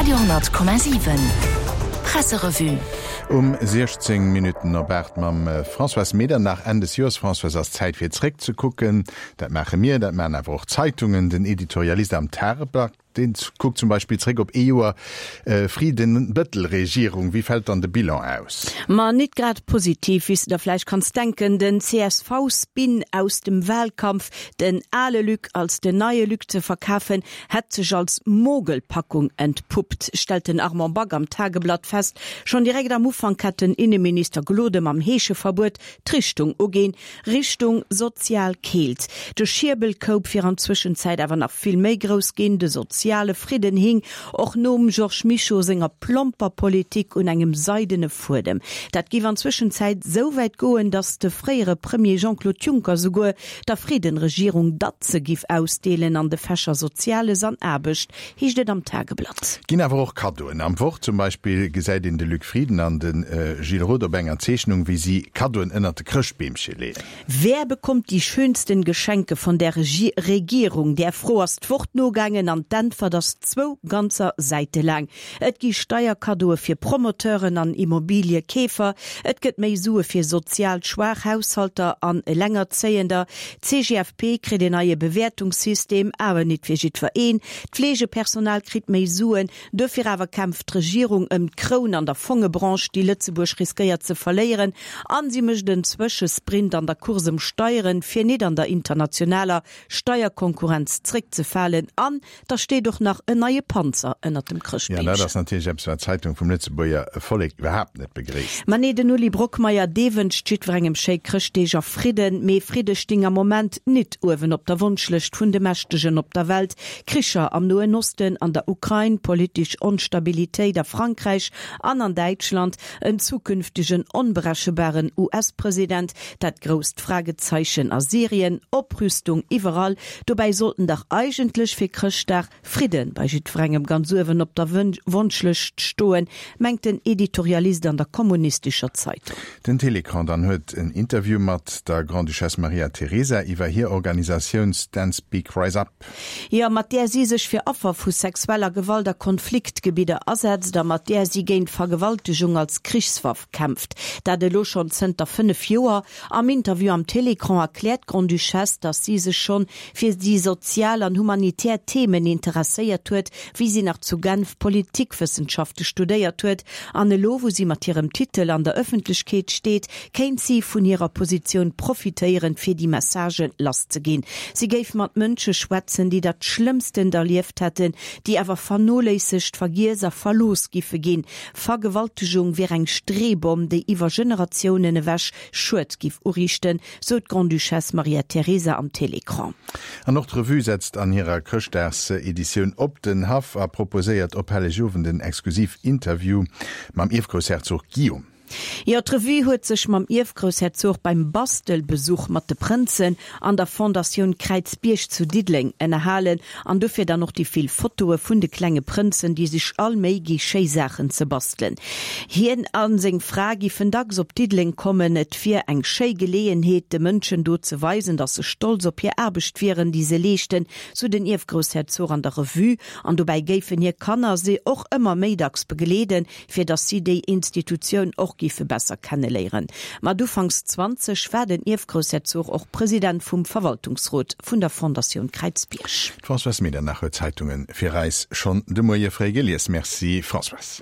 Radio 10,7 Presserevue. Um 16 Minutten op 8 mam Françoise Medernach. Enn des Joers, Françoise, ass Zäit fir zréckzekucken. Dat maache mir, dat maachen awer och d'Zeitungen. Den Editorialist am Tageblatt, dee kuckt zum Beispill zréck op ee Joer Frieden-Bettel-Regierung. Wéi fält dann de Bilan aus? Ma nit grad positiv, wéi s de der vläicht kanns denken. Den CSV-Spin aus dem Wahlkampf, den ale Luc als den neie Luc ze verkafen, hätt sech als Mogelpackung entpuppt, stellt den Armand Back am Tageblatt fest. Schonn direkt am Ufank hätt den Inneminister Gloden mam Heescheverbuet d'Richtung uginn, Richtung sozial Keelt. De Schierbelkoup wier an Zwëschenzäit awer nach vill méi grouss ginn. De soziale Fridden hing och nom Georges Mischo senger plomper Politik un engem seidene Fuedem. Dat géif an Zwëschenzäit sou wäit goen, datt de fréiere Premier Jean-Claude Juncker souguer der Frieden-Regierung Datze giff ausdeelen an de Fächer Soziales an Aarbecht, heescht et am Tageblatt. Ginn awer och Kaddoen. Am Wort zum Beispill gesäit een de Luc Frieden an de Gilles Roth op enger Zeechnung, wéi si Kaddoen ënnert de Chrëschtbeemche leeën. Wer bekommt die schönsten Geschenke von der Regierung? Där Fro ass d'Wort nogaangen an d'Äntwert ass zwou ganzer Säite laang. Et gi Steierkaddoe fir Promoteuren an Immobiliekeefer, et gëtt méi Sue fir sozial schwaach Haushalter an Elengerzéiender, d'CGFP kritt een neie Bewäertungssystem, awer nit fir jiddwer een, d'Fleegepersonal kritt méi Suen, duerfir awer kämpft d'Regierung ëm d'Kroun an der Fongebranche, déi Lëtzebuerg riskéiert ze verléieren, an si mécht en Zwëschesprint an der Course ëm Steieren, fir nit an der internationaler Steierkonkurrenz zréckzefalen an Da steet och nach en neie Panzer ënnert dem Jo, dat Chrëschtbeemchen. ass natierlech eppes, wat d'Zeitung vum Lëtzebuerger Vollek iwwerhaapt net begréisst. Ma nee, den Uli Brockmeyer, dee wënscht jiddwerengem schéi Chrëschtdeeg a Fridden. Mee Fridde sting am Moment nit uewen op der Wonschlëscht vun de Mächtegen op der Welt. Kricher am Noen Osten, an der Ukrain, politesch Onstabilitéit a Frankräich an an Däitschland, en zukünftegen onberechebaren US-President, dat grousst Fragezeichen a Syrien, Oprüstung iwwerall, Dobäi sollten dach eigentlech fir Chrëschtdag Fridde bei jiddwerengem ganz uewen op der Wonschlëscht stoen, mengt den Editorialist an der Kommunistischer Zeitung. Den Télécran dann huet en Interview mat der Grande-Duchesse Maria Teresa iwwer hir Organisatioun Stand Speak Rise Up. Jo, mat där si sech fir Affer vu sexueller Gewalt a Konfliktgebidder asetzt a mat där si géint Vergewaltegung als Krichswaff kämpft. Dat elo schonn zënter 5 Joer. Am Interview am Télécran erkläert d'Grande-Duchesse, datt si sech schonn fir déi sozial an humanitär Themen interesséiert huet, wéi si nach zu Genf Politikwëssenschafte studéiert huet. An elo, wou si mat hirem Titel an der Ëffentlechkeet steet, kéint si vun hirer Positioun profitéieren, fir déi Messagë lasszeginn. Si géif mat Mënsche schwätzen, déi dat Schlëmmstent erlieft hätten, déi awer vernoléissegt, vergiess a verlooss giffe ginn. Vergewaltegung wier eng Streebomm, déi iwwer Generatiounen ewech Schued giff uriichten, sou d'Grande-Duchesse Maria Teresa am Télécran. An och d'Revue setzt an hirer Chrëschtdagseditioun op den Haff a proposéiert op Hellegowend en exklusiv Interview mam Ierfgroussherzog Guillaume. Jo, d'Revue huet sech mam Ierfgroussherzog beim Bastelbesuch mat de Prënzen an der Fondatioun Kräizbierg zu Diddeleng ënnerhalen an dofir dann och déi vill Fotoe vun de klenge Prënzen, déi sech all Méi gi schéi Saachen ze bastelen. Hien a seng Fra giffen dacks op Diddeleng kommen. Et wier eng schéi Geleeënheet, de Mënschen do ze weisen, datt se stolz op hir Aarbecht wieren, déi se leeschten, sou den Ierfgroussherzog an der Revue. An dobäi géifen hir Kanner se och ëmmer méi dacks begleeden, fir datt si déi Institutioun och géife besser kenneléieren. Mat ufanks 20 war den Ierfgroussherzog och President vum Verwaltungsrot vun der Fondatioun Kräizbierg. D'Françoise Medernach huet d'Zeitunge fir eis schonn de Moie fréi gelies. Merci Françoise.